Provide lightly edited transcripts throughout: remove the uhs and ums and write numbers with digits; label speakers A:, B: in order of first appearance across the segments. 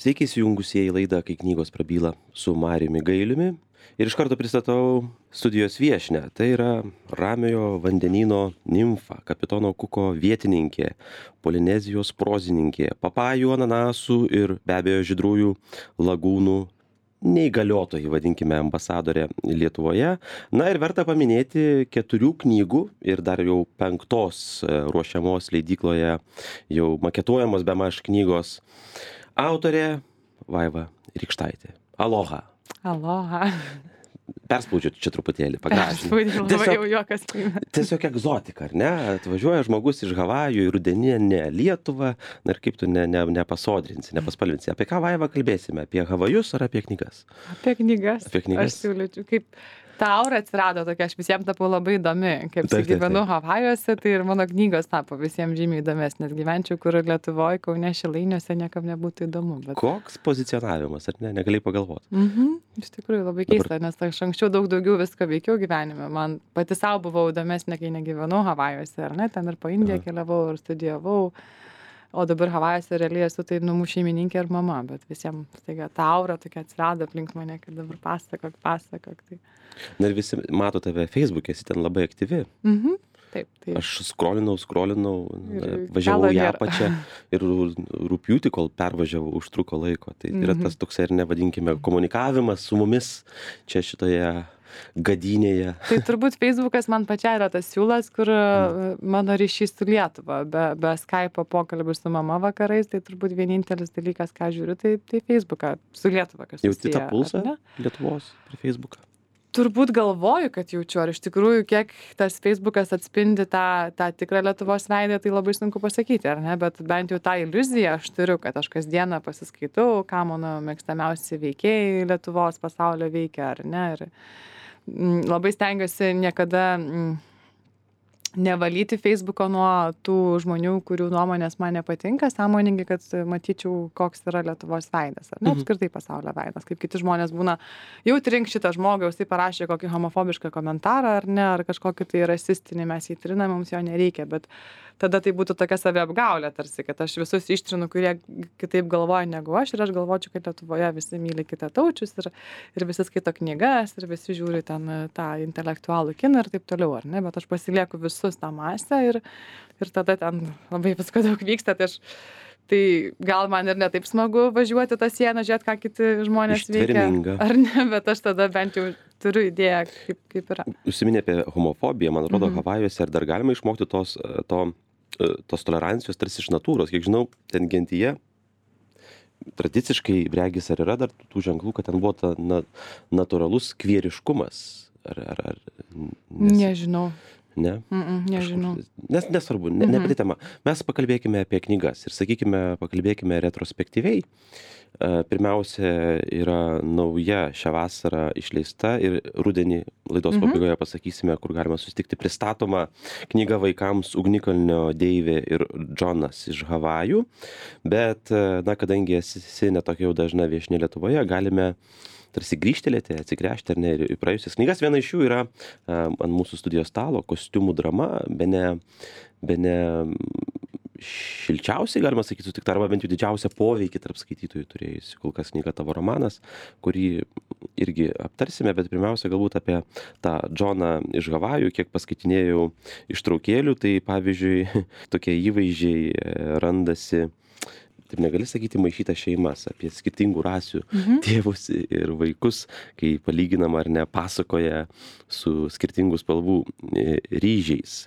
A: Sveiki įsijungusieji į laidą Kai knygos prabyla su Mariumi Gailiumi. Ir iš karto pristatau studijos viešnią. Tai yra Ramiojo vandenyno nimfa, kapitono Kuko vietininkė, Polinezijos prozininkė, papajų, ananasų ir be abejo žydrųjų lagūnų neįgaliotoji, vadinkime, ambasadorė Lietuvoje. Na ir verta paminėti 4 knygų ir dar jau 5 ruošiamos leidykloje jau maketuojamos bemaž knygos autorė Vaiva Rykštaitė. Aloha.
B: Aloha.
A: Perspaudžiu čia truputėlį, pagražinu.
B: Labai jau juokas.
A: Tiesiog egzotika, ar ne? Atvažiuoja žmogus iš Havajų į rudeninę Lietuvą, na ir kaip tu nepasodrinsi, nepaspalvinsi. Apie ką, Vaiva, kalbėsime? Apie Havajus ar apie knygas?
B: Apie knygas.
A: Apie knygas.
B: Aš siūlyčiau, kaip ta aura atsirado tokia, aš visiems tapau labai įdomi. Kaip
A: Taip.
B: gyvenu Havajuose, tai ir mano knygos tapo visiems žymiai įdomesnės. Gyvenčiau, kur Lietuvoje, Kaune, Šilainiuose niekam nebūtų įdomu. Bet...
A: Koks pozicionavimas, ar ne? Negalėjai pagalvoti.
B: Iš tikrųjų labai keista, nes aš anksčiau daug daugiau visko veikiau gyvenime. Man pati savo buvau įdomesnė, kai negyvenau Havajuose, ar ne? Ten ir po Indiją keliavau ir studijavau. O dabar Havajuose realiai esu tai namų šeimininkė ir mama, bet visiems staiga ta aura tokia atsirado aplink mane, kad dabar pasakok. Tai...
A: Na ir visi mato tave Facebook'e, esi ten labai aktyvi.
B: Taip.
A: Aš skrolinau,
B: Ir
A: važiavau į
B: galo nėra.
A: apačią ir rugpjūtį, kol pervažiavau, užtruko laiko. Tai yra tas toks, ir nevadinkime, komunikavimas su mumis čia šitoje gadynėje.
B: Tai turbūt Facebookas man pačiai yra tas siūlas, kur mano ryšys su Lietuva, be Skype'o pokalbių su mama vakarais, tai turbūt vienintelis dalykas, ką žiūriu, tai Facebooką su Lietuva, kas
A: Jauti
B: susiję.
A: tą pulsą
B: ar ne?
A: Lietuvos per Facebooką?
B: Turbūt galvoju, kad jaučiu, ar iš tikrųjų, kiek tas Facebookas atspindi tą tikrą Lietuvos veidą, tai labai sunku pasakyti, ar ne, bet bent jau tą iliuziją aš turiu, kad aš kasdieną pasiskaitau, ką mano mėgstamiausi veikėjai Lietuvos pasaulio veikia, ar ne, ir labai stengiuosi niekada nevalyti Facebooko nuo tų žmonių, kurių nuomonės man nepatinka, sąmoningai, kad matyčiau, koks yra Lietuvos veidas, ar ne, apskritai pasaulio veidas, kaip kiti žmonės būna, jau trink šitą žmogų, jis parašė kokį homofobišką komentarą, ar ne, ar kažkokį tai rasistinį, mes jį triname, mums jo nereikia, bet tada tai būtų tokia saviapgaulė tarsi, kad aš visus ištrinu, kurie kitaip galvoja negu aš, ir aš galvočiau, kad Lietuvoje visi myli kitataučius ir visi skaito knygas, ir visi žiūri ten tą intelektualų kiną ir taip toliau, ar ne, bet aš pasilieku visus tą masę ir tada ten labai visko daug vyksta, tai gal man ir netaip smagu važiuoti tą sieną, žiūrėti, ką kiti žmonės veikia, ar ne, bet aš tada bent jau turiu idėją, kaip yra.
A: Užsiminė apie homofobiją, man atrodo, Havajuose, ar dar galima išmokti tos tolerancijos tarsi iš natūros. Kiek žinau, ten gentyje tradiciškai regis ar yra dar tų ženklų, kad ten buvo ta natūralus kvieriškumas.
B: Nežinau.
A: Ne?
B: Nežinau.
A: Nesvarbu, ne pati tema. Mes pakalbėkime apie knygas ir pakalbėkime retrospektyviai. Pirmiausia yra nauja šią vasarą išleista ir rudenį laidos pabaigoje pasakysime, kur galima susitikti, pristatoma knyga vaikams Ugnikalnio Deivė ir Džonas iš Havajų. Bet, kadangi esi netokia jau dažna viešnia Lietuvoje, galime tarsi grįžtelėti, atsigręžti ar ne ir į praėjusias knygas. Viena iš jų yra ant mūsų studijos stalo kostiumų drama, bene šilčiausiai, galima sakyti, sutikta, arba bent jau didžiausią poveikį tarp skaitytojų turėjusi kol kas knyga Tavo romanas, kurį irgi aptarsime, bet pirmiausia galbūt apie tą Džoną iš Havajų, kiek paskaitinėjau ištraukėlių, tai pavyzdžiui tokie įvaizdžiai randasi, taip negali sakyti, maišytas šeimas, apie skirtingų rasių tėvus ir vaikus, kai palyginama ar ne pasakoja su skirtingų spalvų ryžiais.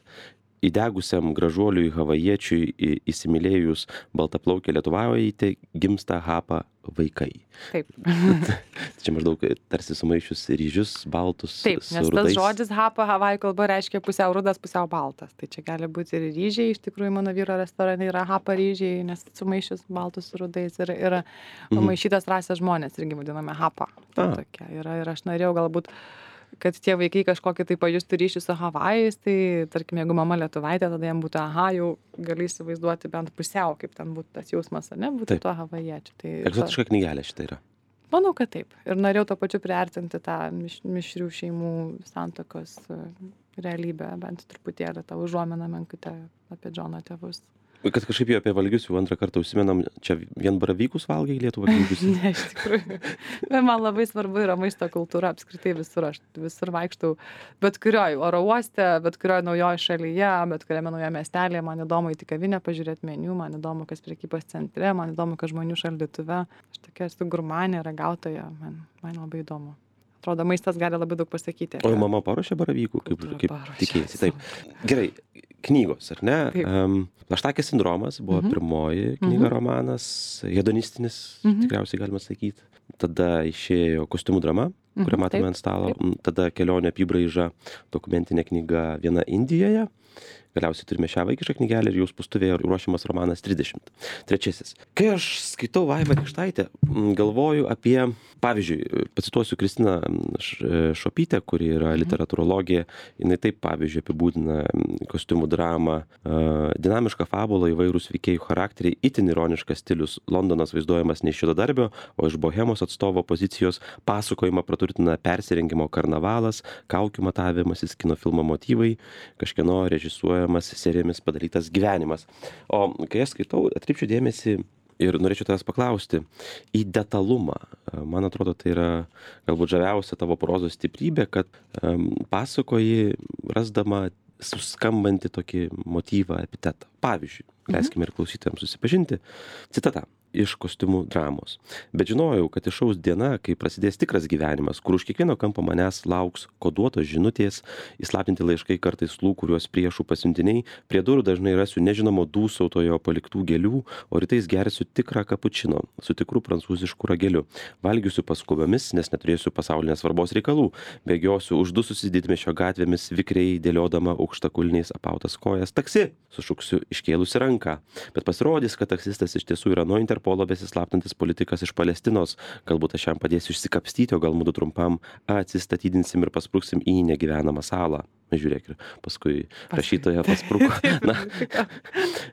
A: Įdegusiam gražuoliui havajiečiui įsimylėjus baltaplaukę lietuvaitę gimsta Hapa vaikai.
B: Taip.
A: Čia maždaug tarsi sumaišius ryžius baltus
B: Taip,
A: su
B: nes
A: rudais.
B: tas žodis Hapa Havajų kalba reiškia pusiau rudas, pusiau baltas. Tai čia gali būti ir ryžiai, iš tikrųjų mano vyro restorane yra Hapa ryžiai, nes sumaišius baltus su rudais ir maišytas rasės žmonės irgi vadiname Hapa. Tai tokia yra ir aš norėjau galbūt kad tie vaikai kažkokį tai pajustų ryšį su Havajais, tai tarkim, jeigu mama lietuvaitė, tada jam būtų, jau gali įsivaizduoti bent pusiau, kaip ten būtų tas jausmas, ar ne, būtų tuo havajiečiu. Tai
A: egzotiška knygelė šitą yra.
B: Manau, kad taip. Ir norėjau to pačiu priartinti tą mišrių šeimų santuokos realybę, bent truputėlį tą užuominą menkutę apie Džono tėvus.
A: Kad kažkaip jau apie valgius jau antrą kartą užsimenam, čia vien baravykus valgai Lietuvą knygus?
B: Ne, iš tikrųjų. Bet man labai svarbu yra maisto kultūra apskritai visur. Aš visur vaikštau, bet kurioj oro uoste, bet kurioj naujoje šalyje, bet kuriame naujoje miestelėje. Man įdomu į kavinę pažiūrėti meniu, man įdomu, kas prekybos centre, man įdomu, kas žmonių šaldytuve. Aš tokia esu gurmanė, ragautoja, man labai įdomu. Atrodo, maistas gali labai daug pasakyti.
A: O mama paruošė baravykų, kaip tikėjasi. Taip. Gerai, knygos, ar ne? Plaštakės sindromas buvo pirmoji knyga, romanas, hedonistinis, tikriausiai galima sakyti. Tada išėjo Kostiumų drama, kurią matome ant stalo. Tada Kelionė apibraiža, dokumentinė knyga Viena Indijoje. Galiausiai turime šią vaikišką knygelę ir jau spustuvėje ruošiamas romanas 30. Trečiasis. Kai aš skaitau Vaivą Rykštaitę, galvoju apie, pavyzdžiui, pacituosiu Kristiną Šopytę, kuri yra literatūrologė, jinai taip, pavyzdžiui, apibūdina Kostiumų dramą, dinamišką fabulą, įvairūs veikėjų charakteriai, itin ironiškas stilius, Londonas vaizduojamas ne iš juodadarbio, o iš bohemos atstovo pozicijos, pasakojimą praturtina persirengimo karnavalas, kaukių matavimasis, kino filmo motyvai, kažkieno režisuojamas serijomis padarytas gyvenimas. O kai aš skaitau, atkreipčiau dėmesį ir norėčiau tavęs paklausti į detalumą. Man atrodo, tai yra galbūt žaviausia tavo prozos stiprybė, kad pasakoji rasdama suskambantį tokį motyvą, epitetą. Pavyzdžiui, leiskime ir klausytojams susipažinti. Citata iš Kostiumų dramos. Bet žinojau, kad išaus diena, kai prasidės tikras gyvenimas, kur už kiekvieno kampo manęs lauks koduotos žinutės, įslaptinti laiškai kartais kuriuos priešų pasiuntiniai, prie durų dažnai rasiu nežinomo dūsautojo paliktų gėlių, o rytais gersiu tikrą kapučino su tikru prancūzišku rageliu. Valgysiu paskubomis, nes neturėsiu pasaulinės svarbos reikalų. Bėgiosiu uždususi didmiesčio gatvėmis, vikriai dėliodama aukštakulniais apautas kojas. Taksi! Sušuksiu iškėlusi ranką. Bet pasirodys, kad taksistas iš tiesų yra nuo Interpolo besislaptantis politikas iš Palestinos. Galbūt aš jam padėsiu išsikapstyti, o gal mudu trumpam atsistatydinsim ir paspruksim į negyvenamą salą. Žiūrėk, ir paskui rašytoja paspruko. Na,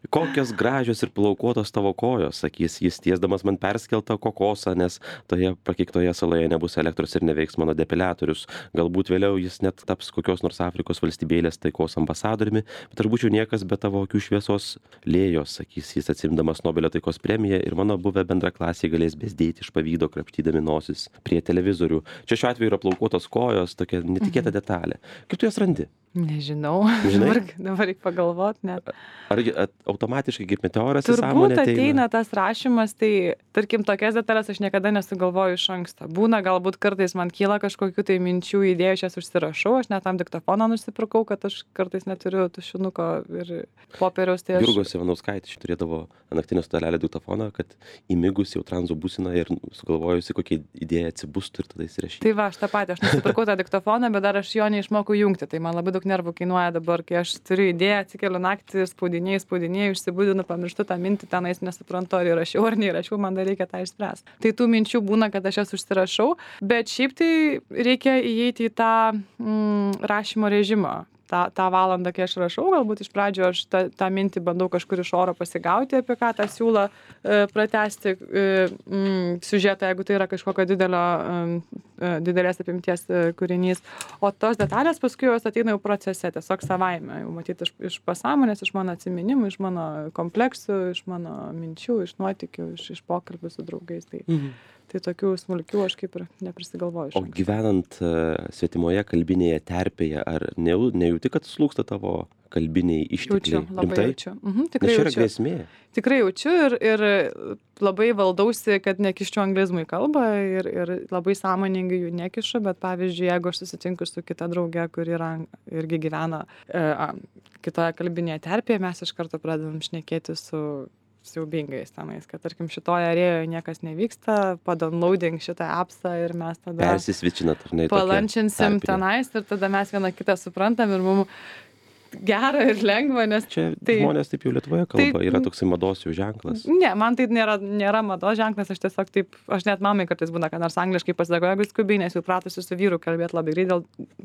A: kokios gražios ir plaukuotos tavo kojos, sakys jis, tiesdamas man perskeltą kokosą, nes toje prakeiktoje saloje nebus elektros ir neveiks mano depiliatorius. Galbūt vėliau jis net taps kokios nors Afrikos valstybėlės taikos ambasadoriumi, bet aš būčiau niekas be tavo akių šviesos lėjos, sakys jis, atsimdamas Nobelio taikos premiją, ir mano buvę bendraklasiai galės bezdėti iš pavydo, krapštydami nosis prie televizorių. Čia šiuo atveju yra plaukuotos kojos, tokia netikėta detalė. Kaip tu jas randi?
B: Nežinau. Dabar reikia pagalvoti, net.
A: Ar automatiškai kaip meteoras į sąmonę
B: Turbūt ateina tas rašymas, tai tarkim tokias detalės aš niekada nesugalvoju iš anksto. Būna galbūt kartais man kyla kažkokių tai minčių, idėjų, aš jas užsirašau, aš net tam diktofoną nusipirkau, kad aš kartais neturiu tušinuko ir popieriaus. Tai
A: Jurgos Ivanauskaitė turėdavo naktinio stalelio diktofoną, kad įmigus jau tranzo būsina ir sugalvojusi kokią idėją atsibustų ir tada įsirašyti.
B: Tai va, aš tą patį, aš nusipirkau tą diktofoną, bet dar aš jo neišmokau jungti. Tai man labai daug nervų kainuoja dabar, kai aš turiu idėją, atsikeliu naktį, spaudinėjau, išsibudinu, pamirštu tą mintį, tenais nesuprantu, ar įrašiau ar neįrašiau, man dar reikia tą išspręsti. Tai tų minčių būna, kad aš jas užsirašau, bet šiaip tai reikia įeiti į tą rašymo režimą. tą valandą, kai aš rašau, galbūt iš pradžio aš tą mintį bandau kažkur iš oro pasigauti, apie ką tą siūlo pratęsti siužetą, jeigu tai yra kažkokio didelės apimties kūrinys. O tos detalės paskui jos ateina jau procese, tiesiog savaime, jau matyti iš pasąmonės, iš mano atsiminimų, iš mano kompleksų, iš mano minčių, iš nuotykių, iš pokalbių su draugais. Tai tokių smulkių aš kaip ir neprisigalvoju.
A: O gyvenant svetimoje kalbinėje terpėje, ar nejauti, kad slūgsta tavo kalbiniai ištekliai?
B: Jaučiu, labai jaučiu. Tikrai
A: Nes čia yra
B: jaučiu.
A: grėsmė.
B: Tikrai jaučiu ir labai valdausi, kad nekiščiau anglizmų į kalbą ir labai sąmoningai jų nekišu, bet pavyzdžiui, jeigu aš susitinku su kita drauge, kuri irgi gyvena kitoje kalbinėje terpėje, mes iš karto pradedam šnekėti su siaubingais tenais, kad tarkim šitoje arėjoje niekas nevyksta, padownloading šitą appsą ir mes tada
A: persisvičinat, ar ne?
B: Palančinsim tenais ir tada mes vieną kitą suprantam ir mums gera ir lengva, nes
A: čia žmonės taip jau Lietuvoje kalba, yra toksai mados jau ženklas.
B: Ne, man tai nėra mados ženklas, aš tiesiog taip, aš net mamai kartais būna, kad nors angliškai pasakau, jeigu skubiai, nes jau pratusi su vyru kalbėti labai greit,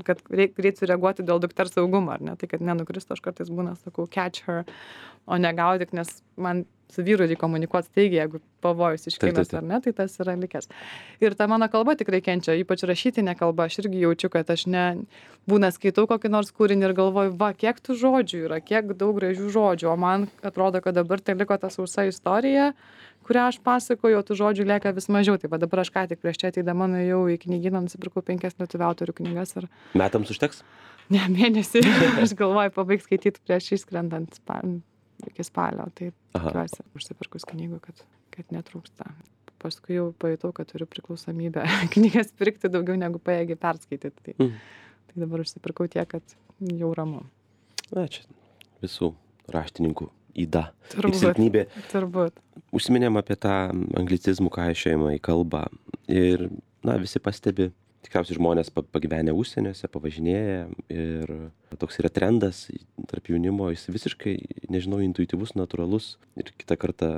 B: kad greit sureaguoti dėl dukters saugumo, ar ne, tai kad nenukristų, aš kartais būna, sakau, catch her, o negaudyk, nes man su vyru reikia komunikuot staigiai, jeigu pavojus iškilęs ar ne, tai tas yra likęs. Ir ta mano kalba tikrai kenčia, ypač rašytinė kalba, aš irgi jaučiu, kad aš būna skaitau kokį nors kūrinį ir galvoju, va, kiek tų žodžių yra, kiek daug gražių žodžių, o man atrodo, kad dabar tai liko ta sausa istorija, kurią aš pasakoju, o tų žodžių lieka vis mažiau. Tai va dabar aš ką tik prieš čia ateidama nuėjau į knygyną, nusipirkau 5 lietuvių autorių knygas ir...
A: Metams užteks?
B: Ne, mėnesį. Aš galvoju pabaigt skaityti prieš išskrendant iki spalio. Tai tikiuosi užsipirkus knygų, kad netrūksta. Paskui jau pajutau, kad turiu priklausomybę knygas pirkti daugiau negu pajėgi perskaityti. Tai dabar užsipirkau tiek, kad jau ramu.
A: Na, čia visų raštininkų yda ir silpnybė.
B: Turbūt.
A: Užsiminėm apie tą anglicizmų kaišiojimą į kalbą ir, visi pastebi, tikriausiai žmonės pagyvenę užsieniuose, pavažinėję ir toks yra trendas tarp jaunimo, jis visiškai, nežinau, intuityvus, natūralus ir kitą kartą,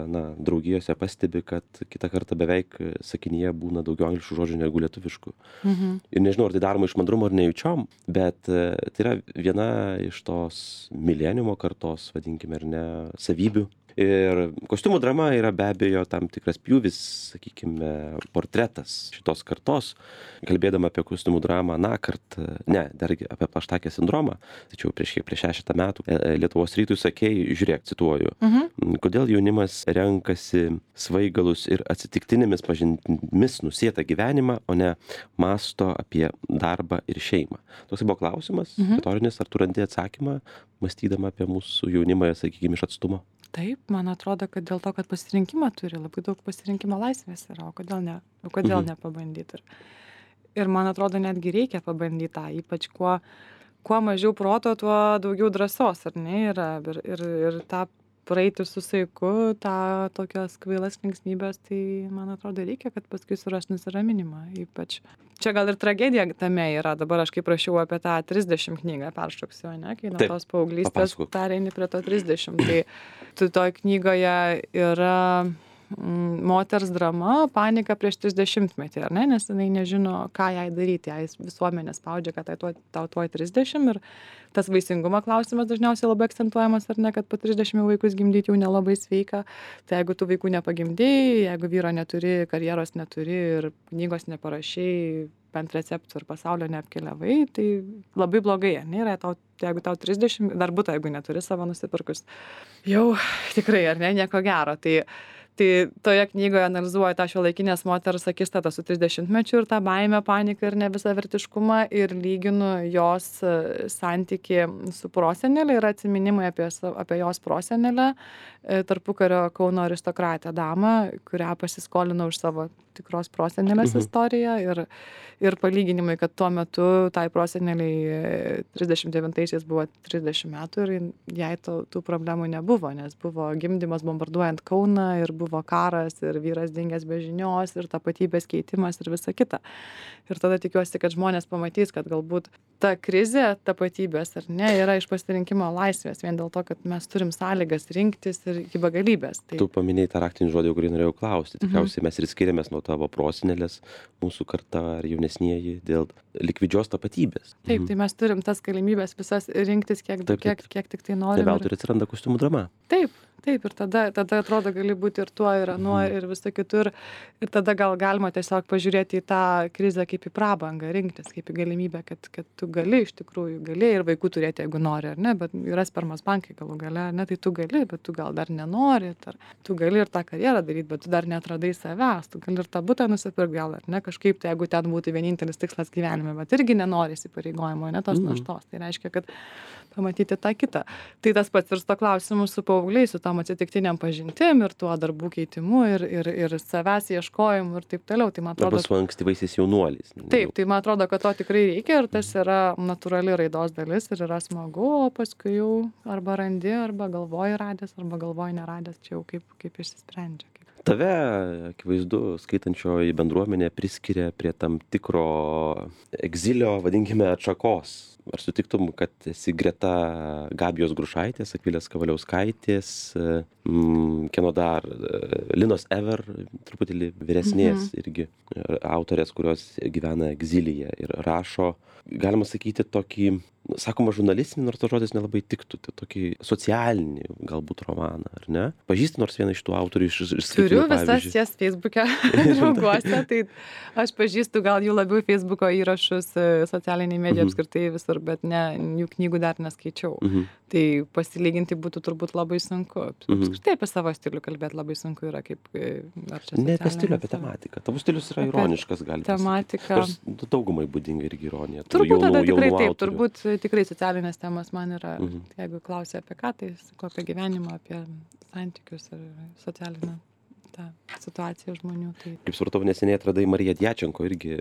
A: draugijose pastebi, kad kitą kartą beveik sakinyje būna daugiau angliškų žodžių negu lietuviškų. Ir nežinau, ar tai daroma iš mandrumo ar nejučiom, bet tai yra viena iš tos mileniumo kartos, vadinkime, ar ne, savybių. Ir kostiumų drama yra be abejo tam tikras pjūvis, sakykime, portretas šitos kartos. Kalbėdama apie kostiumų dramą dargi apie plaštakės sindromą, tačiau prieš 6 metų Lietuvos rytui sakei, žiūrėk, cituoju, kodėl jaunimas renkasi svaigalus ir atsitiktinėmis pažintimis nusėtą gyvenimą, o ne mąsto apie darbą ir šeimą. Toks buvo klausimas, retorinis, ar tu randi atsakymą, mąstydama apie mūsų jaunimą, sakykime, iš atstumo?
B: Taip, man atrodo, kad dėl to, kad pasirinkimą turi, labai daug pasirinkimo laisvės yra, o kodėl nepabandyti. Ir man atrodo, netgi reikia pabandyti tą, ypač kuo mažiau proto, tuo daugiau drąsos, ar ne, yra. Ir tą praeiti su saiku, tą tokios kvailas linksmybės, tai man atrodo reikia, kad paskui suras nusiraminimą, ypač. Čia gal ir tragedija tame yra, dabar aš kaip rašiau apie tą 30 knygą peršoksiu, ne, kai nuo tos paauglystės pereini prie to 30, tai toj knygoje yra moters drama, panika prieš 30-metį, ar ne, nes jinai nežino, ką jai daryti, jai visuomenė spaudžia, kad tau tuoj 30 ir tas vaisingumo klausimas dažniausiai labai akcentuojamas, ar ne, kad po 30 vaikus gimdyti jau nelabai sveika, tai jeigu tu vaikų nepagimdėjai, jeigu vyro neturi, karjeros neturi ir knygos neparašiai, bent receptų ir pasaulio neapkeliavai, tai labai blogai, nėra jeigu tau 30, dar būtų, jeigu neturi savo nusipirkus, jau tikrai, ar ne, nieko gero, tai toje knygoje analizuoju tą šiuolaikinės moters akistatą su 30-mečiu ir tą baimę, paniką ir nevisavertiškumą ir lyginu jos santykį su prosenelė ir atsiminimai apie jos prosenelę, tarpukario Kauno aristokratę damą, kurią pasiskolinau iš savo tikros prosenelės istoriją ir palyginimai, kad tuo metu tai proseneliai 39-aisiais buvo 30 metų ir jai tų problemų nebuvo, nes buvo gimdymas bombarduojant Kauną ir buvo karas ir vyras dingęs be žinios ir tapatybės keitimas ir visa kita. Ir tada tikiuosi, kad žmonės pamatys, kad galbūt ta krizė tapatybės ar ne yra iš pasirinkimo laisvės, vien dėl to, kad mes turim sąlygas rinktis ir iki begalybės.
A: Tu paminėjai tą raktinį žodį, kurį norėjau klausti. Tikriausiai mes ir skiriamės nuo tavo prosenelės, mūsų karta ar jaunesnieji, dėl likvidžios tapatybės.
B: Taip, tai mes turim tas galimybės visas rinktis, kiek tik tai norim.
A: Ne veltui atsiranda kostiumų drama.
B: Taip, ir tada atrodo gali būti ir tuo, ir anuo, ir visą kitur. Ir tada gal galima tiesiog pažiūrėti į tą krizę kaip į prabangą, rinktis kaip į galimybę, kad tu gali iš tikrųjų, ir vaikų turėti, jeigu nori, ar ne, bet yra spermos bankai galų gale, ar ne, tai tu gali, bet tu gal dar nenori, tu gali ir tą karjerą daryti, bet tu dar neatradai savęs, tu gali ir tą butą nusipirkti gal, ar ne, kažkaip, tai jeigu ten būtų vienintelis tikslas gyvenime, bet irgi nenori įsipareigojimo, ne tos naštos, tai reiškia, kad pamatyti tą kitą. Tai tas pats ir su to klausimu su paaugliais, su tom atsitiktiniam pažintim ir tuo darbų keitimu ir savęs ieškojimu ir taip toliau. Tai man atrodo,
A: arba su ankstyvaisiais jaunuoliais.
B: Taip, tai man atrodo, kad to tikrai reikia ir tas yra natūrali raidos dalis ir yra smagu, o paskui jau arba randi, arba galvoji radęs, arba galvoji neradęs, čia jau kaip išsisprendžia.
A: Tave, akivaizdu, skaitančioji bendruomenė priskiria prie tam tikro egzilio, vadinkime, atšakos. Ar sutiktum, kad esi greta Gabijos Grušaitės, Akvilės Kavaliauskaitės, kieno dar, Linos Ever, truputėlį vyresnės irgi autorės, kurios gyvena egzilyje ir rašo, galima sakyti, tokį, sakoma, žurnalistinį, nors tas žodis nelabai tiktų, tai tokį socialinį galbūt romaną, ar ne? Pažįsti nors vieną iš tų autorių iš
B: Turiu visas jas Facebook'e drauguose, tai aš pažįstu gal jų labiau Facebook'o įrašus, socialiniai medijai apskritai visur, bet ne, jų knygų dar neskaičiau. Tai pasilyginti būtų turbūt labai sunku. Apskritai apie savo stilių kalbėti labai sunku yra, kaip ar čia
A: ne apie stilių, apie tematiką. Tavo stilius yra ironiškas, gali būti.
B: Tematika.
A: Daugumai būdinga irgi ironija.
B: Turbūt tada tikrai taip, turbūt tikrai socialinės temos man yra, jeigu klausia apie ką, tai sakau apie gyvenimą, apie santykius ir socialinę tą situaciją žmonių. Tai...
A: Kaip supratau, neseniai atradai Mariją Djačenko, irgi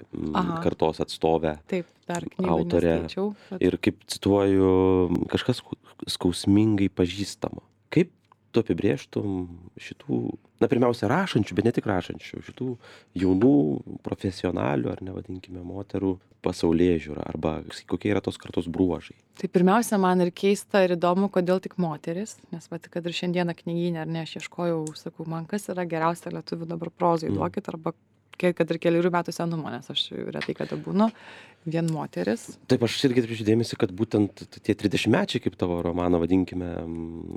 A: kartos atstovę.
B: Taip, dar knygų
A: autorę.
B: Neskaičiau. Bet...
A: Ir kaip cituoju, kažkas skausmingai pažįstama. Kaip tu apibrėžtum šitų, na pirmiausia, rašančių, bet ne tik rašančių, šitų jaunų profesionalių, ar nevadinkime, moterų pasaulėžiūrą, arba kokie yra tos kartos bruožai?
B: Tai pirmiausia, man ir keista ir įdomu, kodėl tik moteris, nes kad ir šiandieną knygyne, ar ne, aš ieškojau, sakau, man kas yra geriausia lietuvių dabar prozai, duokit, arba kad ir kelių metų senumo, nes aš retai kada būnu, vien moteris.
A: Taip, aš irgi atkreipiu dėmesį, kad būtent tie 30-mečiai, kaip tavo romano vadinkime,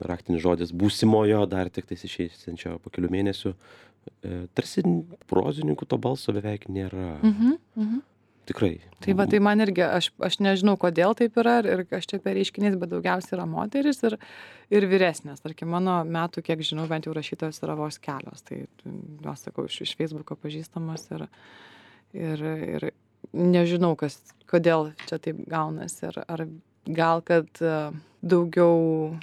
A: raktinis žodis, būsimojo, dar tik tais išeisinčio po kelių mėnesių, tarsi prozininkų to balso beveik nėra. Tikrai.
B: Tai va, tai man irgi, aš nežinau, kodėl taip yra ir aš čia per reiškinys, bet daugiausiai yra moteris ir vyresnės. Tarkim, mano metų, kiek žinau, bent jau rašytojos yra vos kelios. Tai, jos sakau, iš Facebook'o pažįstamos ir nežinau, kodėl čia taip gaunasi. Ar gal, kad daugiau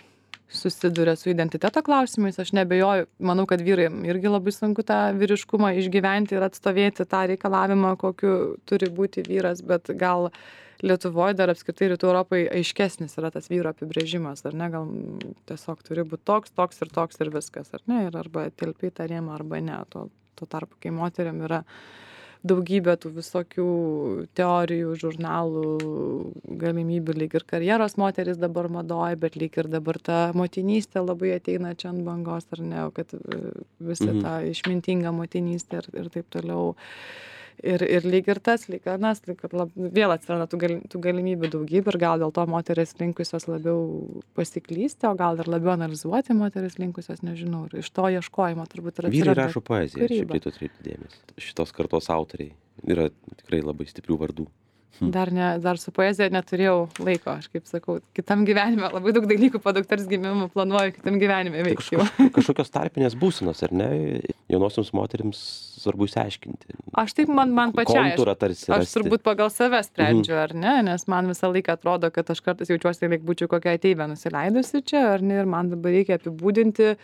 B: susiduria su identiteto klausimais, aš nebejoju, manau, kad vyrai irgi labai sunku tą vyriškumą išgyventi ir atstovėti tą reikalavimą, kokiu turi būti vyras, bet gal Lietuvoje dar apskritai Rytų Europai aiškesnis yra tas vyro apibrėžimas, ar ne, gal tiesiog turi būti toks ir viskas, ar ne, ir arba telpi tą rėmą, arba ne, tuo tarpu, kai moteriam yra daugybė tų visokių teorijų, žurnalų, galimybių, lyg ir karjeros moteris dabar madoja, bet lyg ir dabar ta motinystė labai ateina čia ant bangos, ar ne, kad visa ta išmintinga motinystė ir taip toliau. Ir lyg ir tas, lyg anas, vėl atsiranda tų galimybių daugybė ir gal dėl to moteris linkusios labiau pasiklysti, o gal ir labiau analizuoti moteris linkusios, nežinau, ir iš to ieškojimo turbūt yra.
A: Vyrai rašo poeziją, šiaip tai tu atkreipti dėmesį. Šitos kartos autoriai yra tikrai labai stiprių vardų.
B: Dar su poezija neturėjau laiko, aš kaip sakau, kitam gyvenime, labai daug dalykų po dukters gimimo planuoju kitam gyvenime veikti.
A: Kažkokios tarpinės būsenos, ar ne, jaunosioms moterims svarbu išsiaiškinti.
B: Aš taip, man pačiai, aš turbūt pagal save sprendžiu, ar ne, nes man visą laiką atrodo, kad aš kartais jaučiuosi, lyg būčiau kokią ateivę nusileidusi čia, ar ne, ir man dabar reikia apibūdinti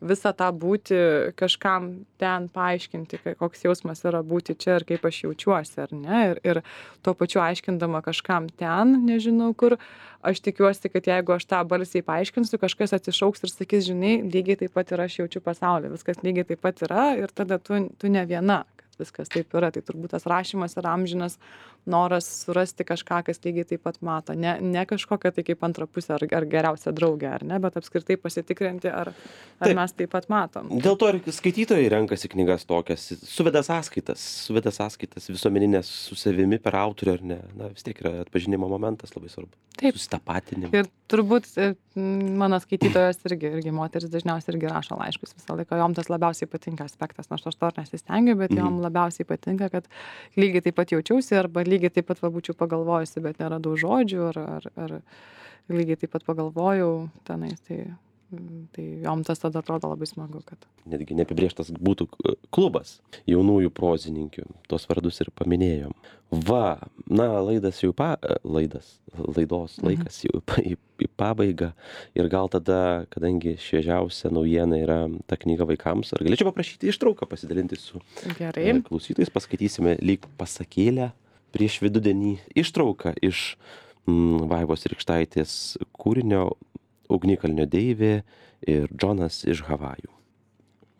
B: visą tą būti, kažkam ten paaiškinti, koks jausmas yra būti čia ir kaip aš jaučiuosi, ar ne, ir tuo pačiu aiškindama kažkam ten, nežinau kur, aš tikiuosi, kad jeigu aš tą balsiai paaiškinsiu, kažkas atsišauks ir sakys, žinai, lygiai taip pat ir aš jaučiu pasaulį, viskas lygiai taip pat yra ir tada tu ne viena, kad viskas taip yra, tai turbūt tas rašymas yra amžinas noras surasti kažką, kas lygiai taip pat mato, ne kažkokia tai kaip antra pusė ar geriausia draugė, ar ne, bet apskritai pasitikrinti, ar mes taip pat matom.
A: Dėl to ir skaitytojai renkasi knygas tokias, suveda sąskaitas visuomeninės su savimi per autorių, ar ne, na vis tiek yra atpažinimo momentas labai svarbu.
B: Taip.
A: Susitapatinimo.
B: Ir turbūt mano skaitytojos irgi moteris dažniausiai irgi rašo laiškus visą laiką, jom tas labiausiai patinka aspektas, nors aš to nesistengiu, bet jom labiausiai patinka, kad lygiai taip pat jaučiausi arba lygiai taip pat būčiau pagalvojusi, bet neradau žodžių, ar lygiai taip pat pagalvojau tenais, tai jom tas tada atrodo labai smagu, kad...
A: Netgi neapibrėžtas būtų klubas jaunųjų prozininkių, tos vardus ir paminėjom. Va, na, laidos laikas jau į pabaigą ir gal tada, kadangi šviežiausia naujiena yra ta knyga vaikams, ar galėčiau paprašyti ištrauką pasidalinti su klausytojais, paskaitysime lyg pasakėlę prieš vidudienį ištrauką iš Vaivos Rykštaitės kūrinio Ugnikalnio deivė ir Džonas iš Havajų.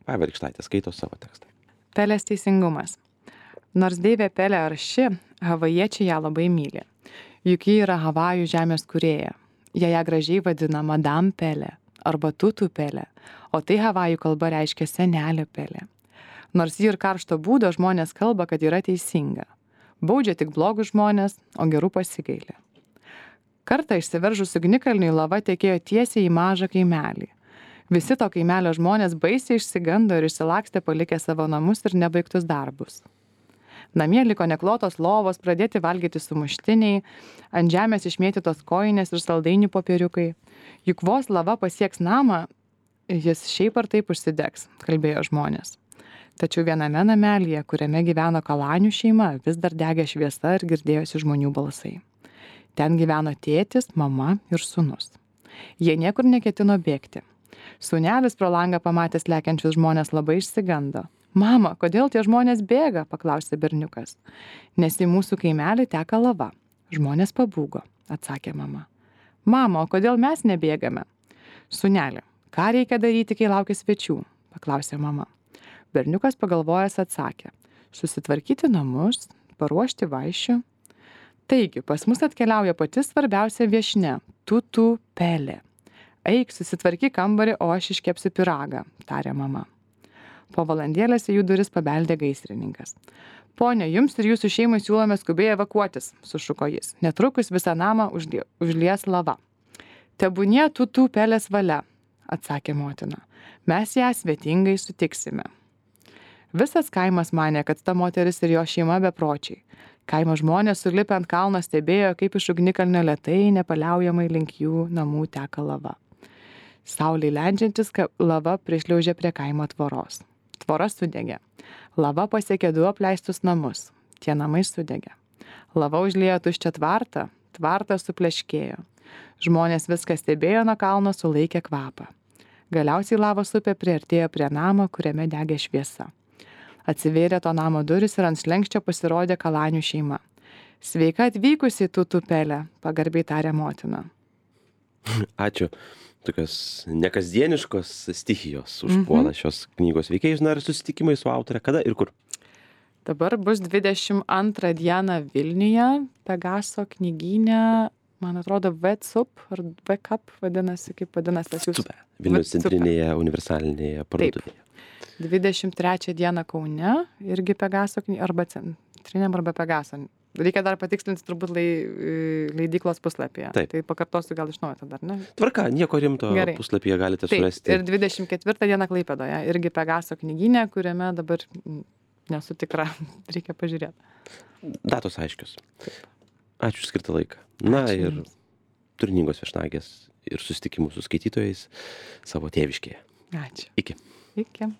A: Vaiva Rykštaitė skaito savo tekstą.
B: Pelės teisingumas. Nors deivė Pelė arši, havajiečiai ją labai myli. Juk ji yra Havajų žemės kūrėja. Jie ją gražiai vadina Madame Pelė arba Tutu Pelė, o tai Havajų kalba reiškia senelė Pelė. Nors ji ir karšto būdo žmonės kalba, kad yra teisinga. Baudžia tik blogus žmonės, o gerų pasigaili. Kartą išsiveržus ugnikalniui lava tekėjo tiesiai į mažą kaimelį. Visi to kaimelio žmonės baisiai išsigando ir išsilakstė palikę savo namus ir nebaigtus darbus. Namie liko neklotos lovos, pradėti valgyti sumuštiniai, ant žemės išmėtytos kojinės ir saldainių popieriukai. Juk vos lava pasieks namą, jis šiaip ar taip užsidegs, kalbėjo žmonės. Tačiau viename namelyje, kuriame gyveno Kalanių šeima, vis dar degė šviesa ir girdėjosi žmonių balsai. Ten gyveno tėtis, mama ir sūnus. Jie niekur neketino bėgti. Sūnelis pro langą pamatęs lekiančius žmonės labai išsigando. Mama, kodėl tie žmonės bėga, paklausė berniukas. Nes į mūsų kaimelį teka lava. Žmonės pabūgo, atsakė mama. Mama, o kodėl mes nebėgame? Sūneli, ką reikia daryti, kai laukia svečių, paklausė mama. Berniukas pagalvojęs atsakė. Susitvarkyti namus, paruošti vaišių. Taigi, pas mus atkeliauja pati svarbiausia viešnia – Tutu Pelė. Eik, susitvarkyk kambarį, o aš iškepsiu pyragą, tarė mama. Po valandėlės į jų duris pabeldė gaisrininkas. Pone, jums ir jūsų šeimai siūlome skubiai evakuotis, sušuko jis. Netrukus visą namą užlies lava. Tebūnie Tutu Pelės valia, atsakė motina. Mes ją svetingai sutiksime. Visas kaimas manė, kad ta moteris ir jo šeima bepročiai. Kaimo žmonės sulipę ant kalno stebėjo, kaip iš ugnikalnio lėtai nepaliaujamai link jų namų teka lava. Saulei leidžiantis, lava prišliaužė prie kaimo tvoros. Tvora sudegė. Lava pasiekė 2 apleistus namus. Tie namai sudegė. Lava užliejo tuščią tvartą, tvartas supleškėjo. Žmonės viską stebėjo nuo kalno, sulaikė kvapą. Galiausiai lavos upė priartėjo prie namo, kuriame degė šviesa. Atsivėrė to namo duris ir ant slenksčio pasirodė Kalanių šeima. Sveika atvykusi į Tutu Pelę, pagarbiai tarė motina.
A: Ačiū. Tokios nekasdieniškos stichijos užpuola šios knygos veikėjus. Na ir susitikimai su autore kada ir kur?
B: Dabar bus 22 dieną Vilniuje, Pegaso knygyne, man atrodo, VCUP ar VCUP vadinasi, kaip vadinasi tas jūsų.
A: Vilniaus centrinėje universalinėje parduotuvėje.
B: 23 dieną Kaune, irgi Pegaso knygyne, arba centriniam arba Pegaso. Reikia dar patikslinti turbūt leidyklos puslapyje.
A: Taip.
B: Tai pakartosiu gal iš naujo tada, ar ne?
A: Tvarka, nieko rimto. Gerai. Puslapyje galite surasti.
B: Taip, ir 24 dieną Klaipėdoje, irgi Pegaso knygyne, kuriame dabar nesu tikra, reikia pažiūrėti.
A: Datos aiškios. Ačiū skirtą laiką. Na
B: Ačiū
A: ir
B: jums.
A: turiningos viešnagės ir susitikimų su skaitytojais savo tėviškėje.
B: Ačiū.
A: Iki.
B: Iki.